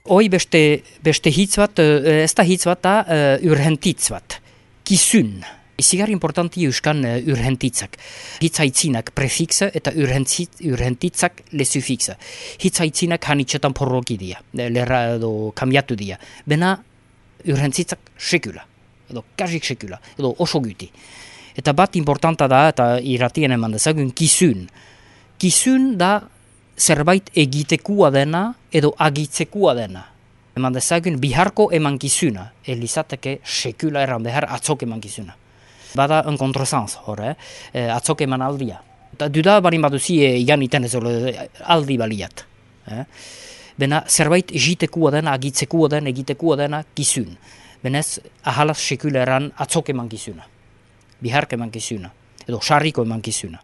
Hoi beste hitz bat, ez da hitz bat da urgentitz bat, kizun. Izigar importanti euskan urgentitzak. Hitz haitzinak prefixa eta urgentitzak le sufixa. Hitz haitzinak hanitxetan porroki dia, lerra edo kambiatu dia. Bena urgentitzak sekula, edo kasik sekula, edo oso guti. Eta bat importanta da, eta irratien eman dezagun, kizun. Kizun da zerbait egitekua dena edo agitzekua dena. Eman dezagun biharko emankizuna, elizateke sekula erran behar atzok emankizuna. Bada un contresens hor, atzok eman aldia. Eta duda barin baduzi igan iten ez aldi baliat. Bena zerbait egitekua dena, agitzekua dena, egitekua dena kizun. Benez ahalaz sekula erran atzok emankizuna. Biharko emankizuna, edo sarriko emankizuna.